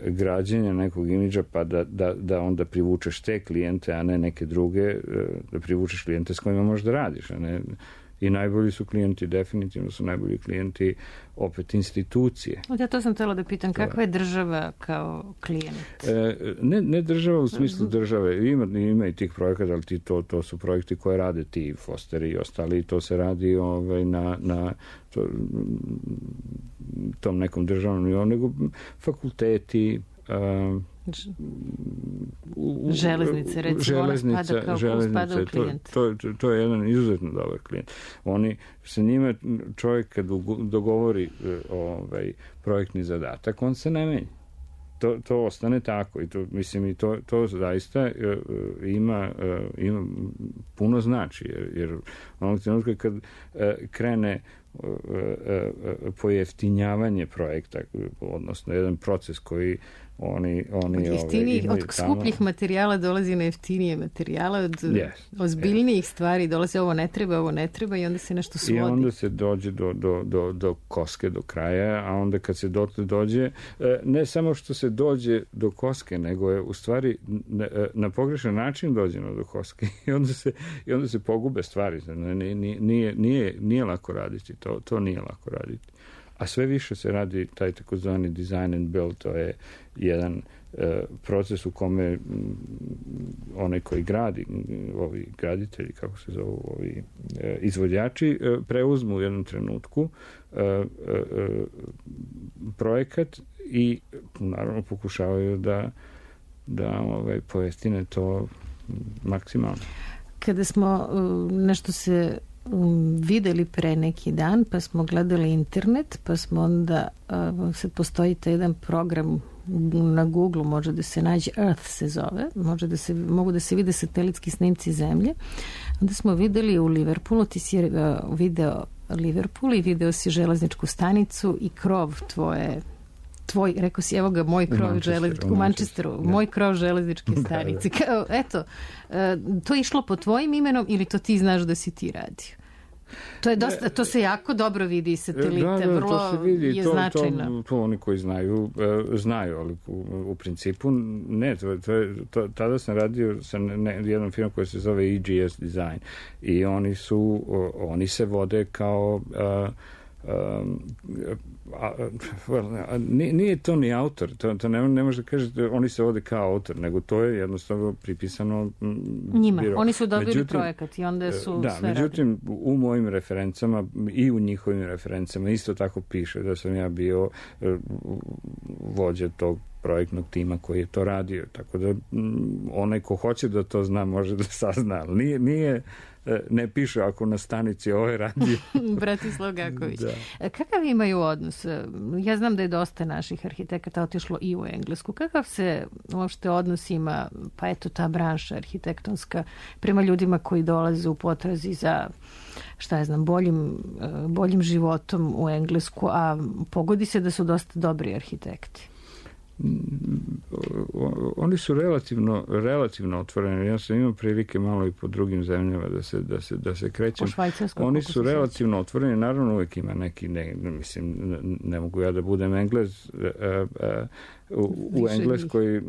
građenja nekog imidža, pa da onda privučeš te klijente, a ne neke druge, da privučeš klijente s kojima možeš da radiš, a ne. I najbolji su klijenti, definitivno su najbolji klijenti opet institucije. Ja to sam htjela da pitam, kakva je država kao klijent? Ne država u smislu države. Ima i tih projekata, ali to su projekti koje rade ti Fosteri i ostali. To se radi na tom nekom državnom nivou, nego fakulteti, železnice, recimo, ona spada u klijent. To je jedan izuzetno dobar klijent. Oni, sa njima čovjek kad dogovori projektni zadatak, on se ne menja. To ostane tako i to zaista ima puno znači, jer onog trenutka kad krene pojeftinjavanje projekta, odnosno jedan proces koji oni od skupljih materijala dolazi na jeftinije materijala, od ozbiljnijih stvari dolazi ovo ne treba i onda se nešto svodi. I onda se dođe do koske, do kraja, a onda kad se dođe, ne samo što se dođe do koske, nego je u stvari na pogrešan način dođeno do koske i onda se pogube stvari. Nije lako raditi, to nije lako raditi. A sve više se radi taj takozvani design and build, to je jedan proces u kome onaj koji gradi, ovi graditelji, kako se zovu, ovi izvođači, preuzmu u jednom trenutku projekat i naravno pokušavaju da pojeftine to maksimalno. Kada smo nešto se videli pre neki dan, pa smo gledali internet, pa smo onda, sad postoji taj jedan program na Google, može da se nađe, Earth se zove, mogu da se vide satelitski snimci zemlje. Onda smo videli u Liverpoolu, ti si video Liverpool i video si železničku stanicu i krov tvoj, rekao si, evo ga, moj krov u Manchesteru, moj krov železničke stanice. Eto, to je išlo po tvojim imenom ili to ti znaš da si ti radio? To se jako dobro vidi iz satelita, vrlo je značajno. To oni koji znaju, ali u principu ne. Tada sam radio sa jednom firmom koja se zove EGS Design i oni se vode kao nije to ni autor, to ne može da kažete oni se vode kao autor, nego to je jednostavno pripisano njima, oni su dobili projekat i onda su sve međutim u mojim referencama i u njihovim referencama isto tako piše da sam ja bio vođa tog projektnog tima koji je to radio. Tako da onaj ko hoće da to zna može da sazna, ali ne piše ako na stanici ovo je radio. Bratislav Gaković. Da. Kakav imaju odnos? Ja znam da je dosta naših arhitekata otišlo i u Englesku. Kakav se uopšte odnos ima, pa eto ta branša arhitektonska, prema ljudima koji dolaze u potrazi za, šta ja znam, boljim životom u Englesku, a pogodi se da su dosta dobri arhitekti? Oni su relativno otvoreni. Ja sam imao prilike malo i po drugim zemljama da se krećem. Oni su relativno otvoreni. Naravno uvijek ima neki, ne mogu ja da budem Englez u Engleskoj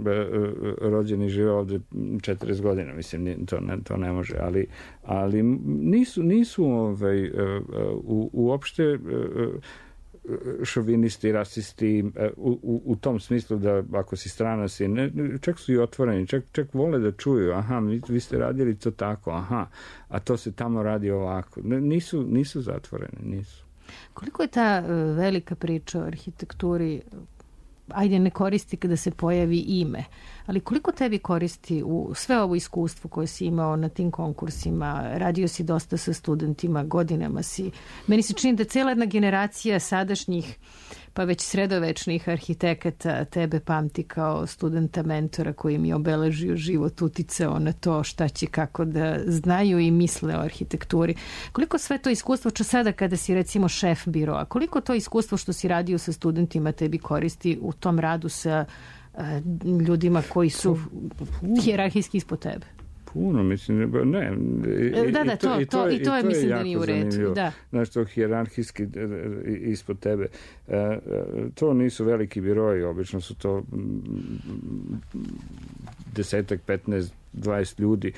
rođeni žive ovde 40 godina. Mislim, to ne može. Ali nisu uopšte šovinisti, rasisti u tom smislu da ako si strana si, čak su i otvoreni, čak vole da čuju, aha, vi ste radili to tako, aha, a to se tamo radi ovako. Nisu zatvoreni, nisu. Koliko je ta velika priča o arhitekturi, ajde ne koristi kada se pojavi ime, ali koliko tebi koristi u sve ovo iskustvo koje si imao na tim konkursima, radio si dosta sa studentima, godinama si, meni se čini da cela jedna generacija sadašnjih pa već sredovečnih arhitekata tebe pamti kao studenta mentora koji mi je obeležio život, uticao na to šta će kako da znaju i misle o arhitekturi. Koliko sve to iskustvo, sada kada si recimo šef biroa, koliko to iskustvo što si radio sa studentima tebi koristi u tom radu sa ljudima koji su hijerarhijski ispod tebe? Puno, mislim, ne. I to je mislim da nije u redu. Da. Znaš, to hijerarhijski ispod tebe. To nisu veliki biroji, obično su to 10, 15, 20 ljudi.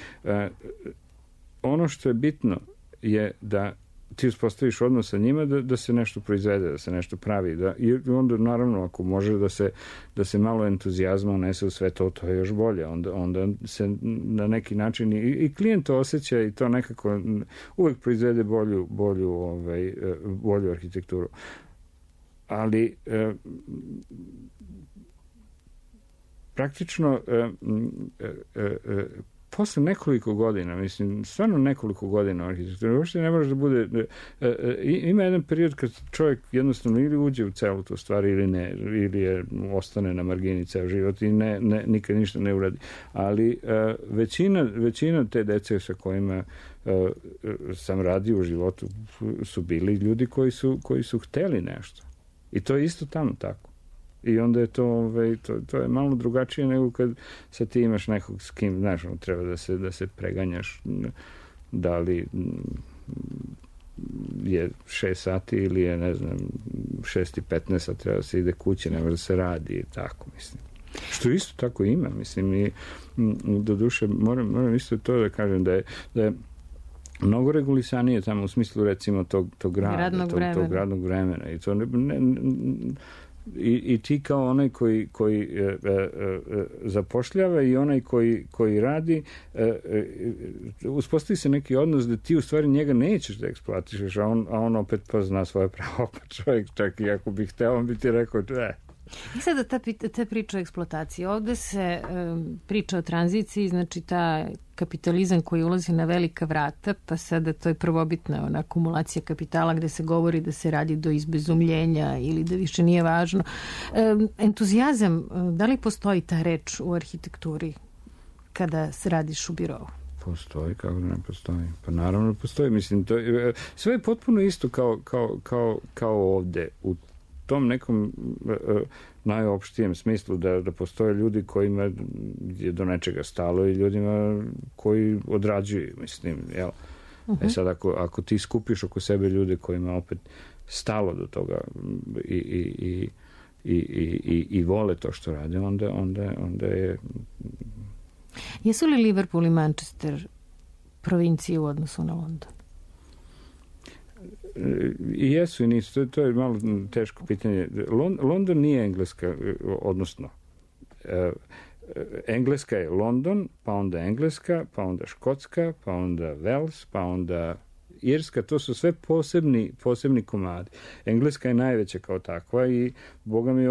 Ono što je bitno je da ti uspostaviš odnos sa njima da se nešto proizvede, da se nešto pravi. I onda, naravno, ako može da se malo entuzijazma unese u sve to, to je još bolje. Onda se na neki način i klijent to osjeća i to nekako uvek proizvede bolju arhitekturu. Ali praktično posle nekoliko godina, mislim, stvarno nekoliko godina u arhitekturi, uopšte ne može da bude, ima jedan period kad čovjek jednostavno ili uđe u celu tu stvar ili ne, ili ostane na margini ceo život i nikad ništa ne uradi. Ali većina te dece sa kojima sam radio u životu su bili ljudi koji su hteli nešto. I to je isto tamo tako. I onda je to je malo drugačije nego kad sad ti imaš nekog s kim, znaš, treba da se preganjaš, da li je 6 sati ili je, ne znam, 6:15, a treba da se ide kući, ne može da se radi i tako, mislim. Što isto tako ima, mislim, i do duše moram isto to da kažem da je mnogo regulisanije tamo u smislu, recimo, tog radnog vremena. I to I ti kao onaj koji zapošljava i onaj koji radi, uspostavi se neki odnos da ti u stvari njega nećeš da eksploatišeš, a on opet pa zna svoje pravo, pa čovjek čak i ako bi hteo, on bi ti rekao I sada ta priča o eksploataciji. Ovde se priča o tranziciji, znači ta kapitalizam koji ulazi na velika vrata, pa sada to je prvobitna akumulacija kapitala gde se govori da se radi do izbezumljenja ili da više nije važno. Entuzijazam, da li postoji ta reč u arhitekturi kada se radiš u birovu? Postoji, kako da ne postoji? Pa naravno postoji. Mislim, sve je potpuno isto kao ovde. U tom nekom najopštijem smislu da postoje ljudi kojima je do nečega stalo i ljudima koji odrađuju, mislim, jel? Sad ako ti skupiš oko sebe ljude kojima opet stalo do toga i vole to što rade, onda je... Jesu li Liverpool i Manchester provincije u odnosu na London? I jesu i nisu. To je malo teško pitanje. London nije Engleska, odnosno Engleska je London, pa onda Engleska, pa onda Škotska, pa onda Wales, pa onda Irska, to su sve posebni komadi. Engleska je najveća kao takva i boga mi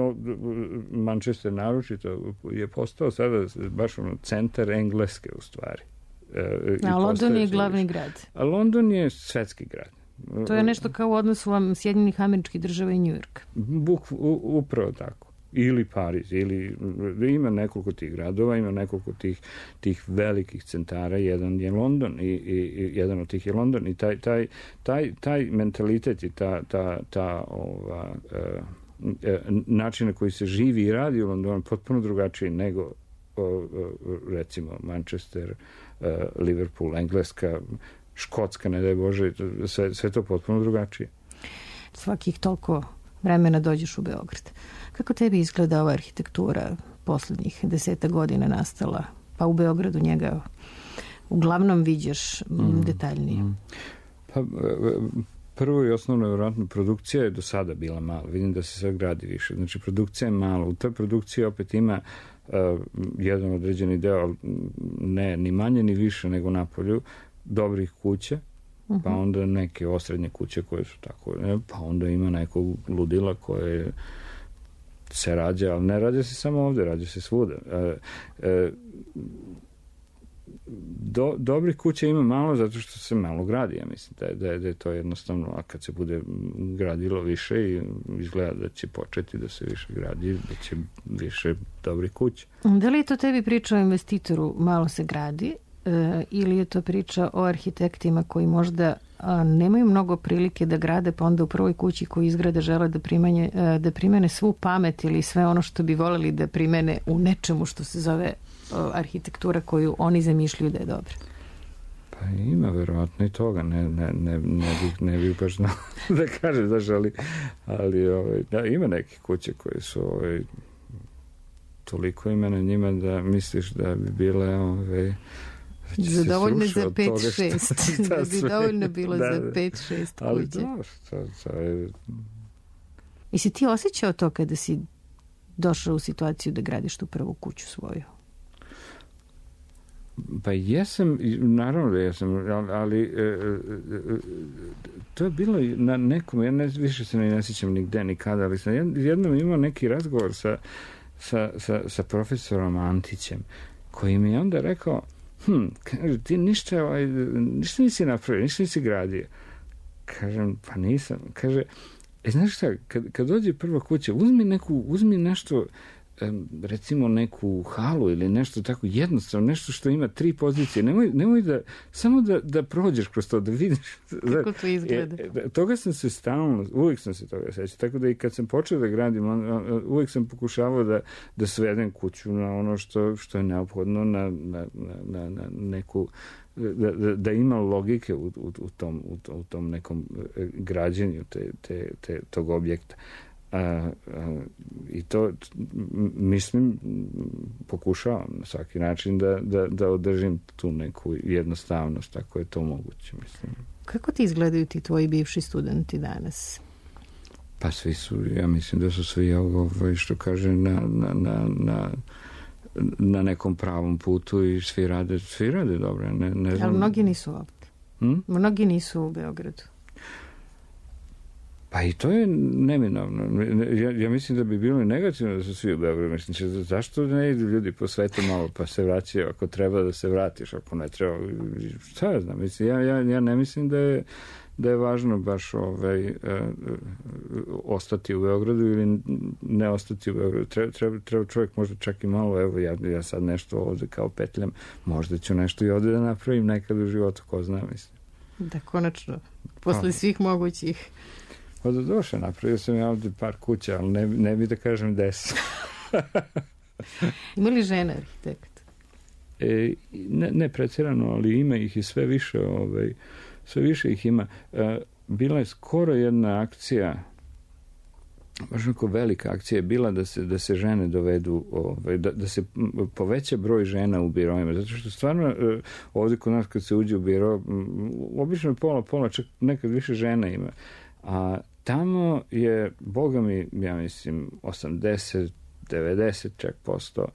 Manchester naročito je postao sada baš centar Engleske u stvari. A London je glavni grad. A London je svetski grad. To je nešto kao u odnosu Sjedinjenih Američkih Država i New York. Upravo tako. Ili Pariz, ili ima nekoliko tih gradova, ima nekoliko tih velikih centara, jedan je London i jedan od tih je London i taj mentalitet i način na koji se živi i radi u Londonu potpuno drugačiji nego recimo Manchester, Liverpool, Engleska, Škotska, ne daj Bože, sve to potpuno drugačije. Svakih toliko vremena dođeš u Beograd. Kako tebi izgleda ova arhitektura poslednjih 10 godina nastala? Pa u Beogradu njega uglavnom viđaš detaljnije. Pa prvo i osnovno, vjerojatno, produkcija je do sada bila mala. Vidim da se sve gradi više. Znači, produkcija je mala. U toj produkciji opet ima jedan određeni deo, ne ni manje ni više nego napolju, dobrih kuća, pa onda neke osrednje kuće koje su tako, pa onda ima nekog ludila koje se rađa, ali ne rađa se samo ovde, rađa se svuda. Dobrih kuća ima malo zato što se malo gradi, ja mislim da je to jednostavno, a kad se bude gradilo više i izgleda da će početi da se više gradi, da će više dobrih kuća. Da li je to tebi priča o investitoru malo se gradi ili je to priča o arhitektima koji možda nemaju mnogo prilike da grade, pa onda u prvoj kući koju izgrade žele da primene svu pamet ili sve ono što bi voleli da primene u nečemu što se zove arhitektura koju oni zamišljaju da je dobra? Pa ima verovatno i toga, ne bih baš znao da kažem, ali da, ima neke kuće koje su toliko ima na njima da misliš da bi bile zadovoljne za 5-6 da bi dovoljno bilo za 5-6 kuće. Ali to je... I si ti osjećao to kada si došao u situaciju da gradiš tu prvu kuću svoju? Pa jesam, naravno da jesam, ali to je bilo na nekom, ja više se ne sjećam nigde nikada, ali sam jednom imao neki razgovor sa profesorom Antićem, koji mi je onda rekao, kaže, ti ništa nisi napravio, ništa nisi gradio. Kažem, pa nisam. Kaže, znaš šta, kad dođe prva kuća, uzmi nešto, recimo neku halu ili nešto tako jednostavno, nešto što ima 3 pozicije. Nemoj da, samo da prođeš kroz to, da vidiš. Kako to izgleda? Toga sam se stalno, uvijek sam se toga sećao. Tako da i kad sam počeo da gradim, uvijek sam pokušavao da svedem kuću na ono što je neophodno, na neku, da ima logike u tom nekom građenju tog objekta. I to mislim pokušavam na svaki način da održim tu neku jednostavnost ako je to moguće, mislim. Kako ti izgledaju ti tvoji bivši studenti danas? Pa svi su, ja mislim da su svi što kaže na nekom pravom putu i svi rade dobro, ne znam. Ali mnogi nisu ovdje. Mnogi nisu u Beogradu. Pa i to je neminovno. Ja mislim da bi bilo i negativno da su svi u Beogradu. Mislim, zašto ne idu ljudi po svetu malo pa se vraćaju ako treba da se vratiš, ako ne treba. Šta ja znam? Mislim, ja ne mislim da je važno baš ostati u Beogradu ili ne ostati u Beogradu. Treba čovjek možda čak i malo, evo ja sad nešto ovde kao petljam, možda ću nešto i ovde da napravim nekad u životu, ko zna, mislim. Da, konačno, posle svih mogućih. Pa do duše, napravio sam ja ovdje par kuća, ali ne bi da kažem 10. Ima li žena arhitekt? Ne pretirano, ali ima ih i sve više ih ima. Bila je skoro jedna akcija, baš neko velika akcija je bila da se žene dovedu, da se poveća broj žena u biroima, zato što stvarno ovdje kod nas kad se uđe u biro, obično je pola, čak nekad više žena ima. A tamo je, boga mi, ja mislim, 80-90 čak posto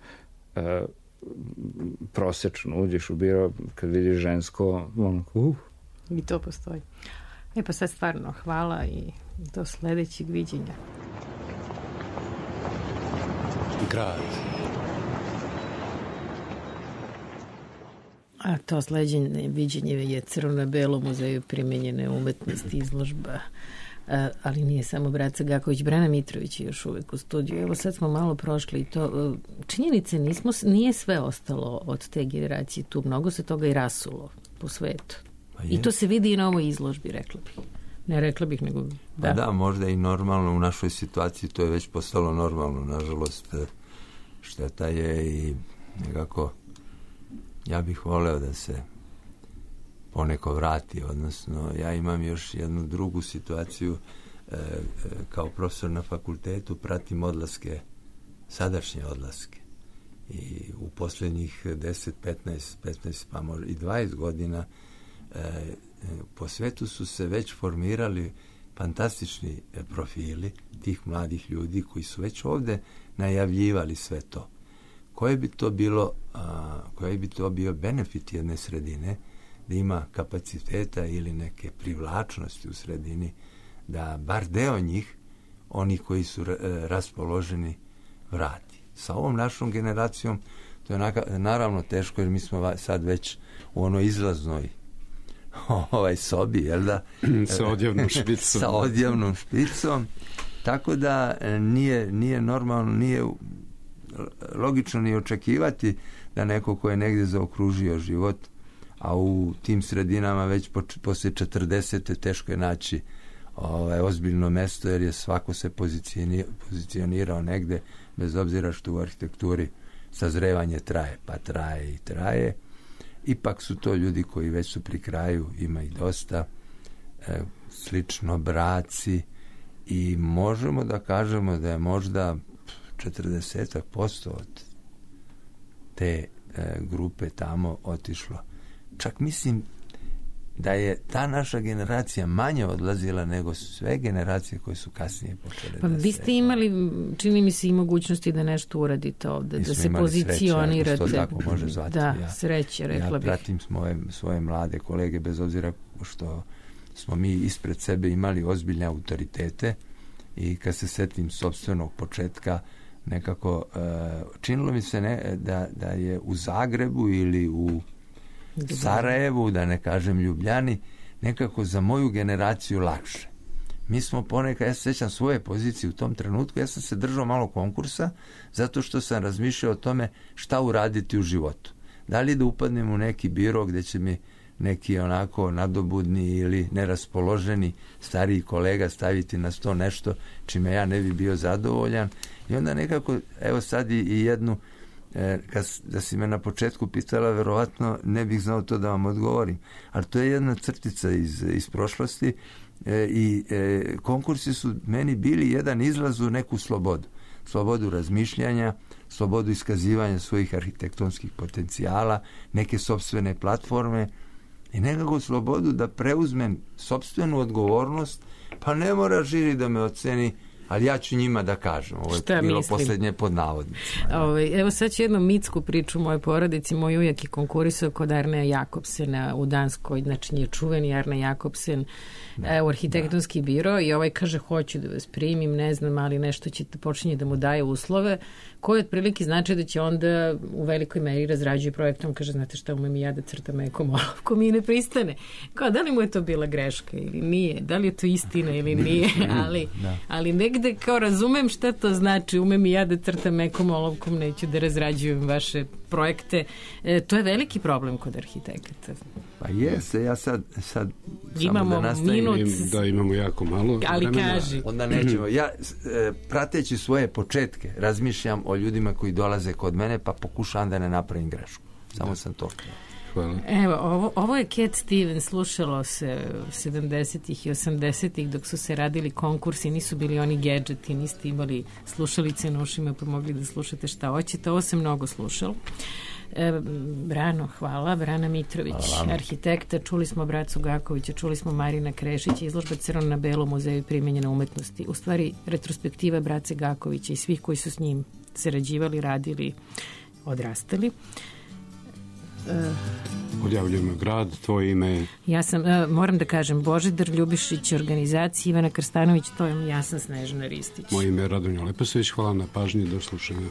prosečno uđeš u biro kad vidiš žensko, I to postoji. Pa sad stvarno hvala i do sledećeg viđenja. Grad. A to sledeće viđenje je Crno-na-belo muzeju primenjene umetnosti, izložba, ali nije samo Braca Gaković, Brana Mitrović je još uvek u studiju. Evo sad smo malo prošli i to. Činjenice nije sve ostalo od te generacije tu, mnogo se toga i rasulo po svetu. I to se vidi i na ovoj izložbi, rekla bih. Ne rekla bih, nego da. Da, možda i normalno u našoj situaciji, to je već postalo normalno, nažalost, šteta je i nekako ja bih voleo da se poneko vrati, odnosno ja imam još jednu drugu situaciju, kao profesor na fakultetu pratim odlaske, sadašnje odlaske, i u posljednjih 10, 15 pa možda i 20 godina po svetu su se već formirali fantastični profili tih mladih ljudi koji su već ovde najavljivali sve to. Koji bi to bio benefit jedne sredine, da ima kapaciteta ili neke privlačnosti u sredini, da bar deo njih, oni koji su raspoloženi, vrati. Sa ovom našom generacijom to je naravno teško, jer mi smo sad već u onoj izlaznoj sobi, jel da? Sa odjavnom špicom. Sa odjavnom špicom, tako da nije normalno, nije logično ni očekivati da neko ko je negdje zaokružio život, a u tim sredinama već posle 40. teško je naći ozbiljno mesto, jer je svako se pozicionirao negde, bez obzira što u arhitekturi sazrevanje traje, pa traje i traje. Ipak su to ljudi koji već su pri kraju, ima i dosta, slično braci, i možemo da kažemo da je možda 40% od te grupe tamo otišlo. Čak mislim da je ta naša generacija manje odlazila nego sve generacije koje su kasnije počele. Pa vi ste imali, čini mi se, i mogućnosti da nešto uradite ovde, da se pozicionirate. To tako može zvati. Da, sreće, rekla bih. Ja pratim svoje mlade kolege, bez obzira što smo mi ispred sebe imali ozbiljne autoritete, i kad se setim sopstvenog početka, nekako činilo mi se da je u Zagrebu ili u Sarajevu, da ne kažem Ljubljani, nekako za moju generaciju lakše. Mi smo ponekad, ja se sjećam svoje pozicije u tom trenutku, ja sam se držao malo konkursa, zato što sam razmišljao o tome šta uraditi u životu. Da li da upadnem u neki biro gdje će mi neki onako nadobudni ili neraspoloženi stariji kolega staviti na sto nešto čime ja ne bi bio zadovoljan, i onda nekako, evo sad i jednu, da si me na početku pitala, verovatno ne bih znao to da vam odgovorim, ali to je jedna crtica iz prošlosti, i konkursi su meni bili jedan izlaz u neku slobodu razmišljanja, slobodu iskazivanja svojih arhitektonskih potencijala, neke sopstvene platforme i nekako slobodu da preuzmem sopstvenu odgovornost, pa ne mora žiri da me oceni, ali ja ću njima da kažem. Ovo je bilo posljednje pod navodnicima. Evo sad ću jednu mitsku priču u mojoj porodici. Moj ujak je konkurisao kod Arneja Jakobsena u Danskoj, znači nije čuveni Arne Jakobsen, u arhitektonski biro, i kaže hoću da vas primim, ne znam, ali nešto ćete počinje da mu daje uslove, koji otprilike znači da će onda u velikoj meri razrađuje projektom, kaže, znate šta, umem i ja da crtam nekom olovku, mi ne pristane. Kao, da li mu je to bila greška ili nije, da li je to istina ili nije, ali negde kao razumem šta to znači, umem i ja da crtam nekom olovkom, neću da razrađujem vaše projekte. To je veliki problem kod arhitekata. Pa jeste, ja sad imamo samo da nastavim. Da, imamo jako malo ali vremena. Kaži. Onda nećemo. Ja, prateći svoje početke, razmišljam o ljudima koji dolaze kod mene, pa pokušavam da ne napravim grešku. Samo sam to htio. Hvala. Evo, ovo je Cat Stevens, slušalo se 70-ih i 80-ih dok su se radili konkursi, nisu bili oni gadgeti, niste imali slušalice na ušima pa mogli da slušate šta hoćete, ovo se mnogo slušalo. Brano, hvala. Brana Mitrović, arhitekta, čuli smo Bracu Gakovića, čuli smo Marina Krešića, izložba Crno-na-belo muzeju primenjene umetnosti, u stvari retrospektiva Brace Gakovića i svih koji su s njim sarađivali, radili, odrastali. Odjavljujemo grad, tvoje ime. Ja sam, moram da kažem, Božidar Ljubišić, organizacija Ivana Krstanović, ja sam Snežana Ristić. Moje ime je Radonja Leposević, hvala na pažnji, do slušanja.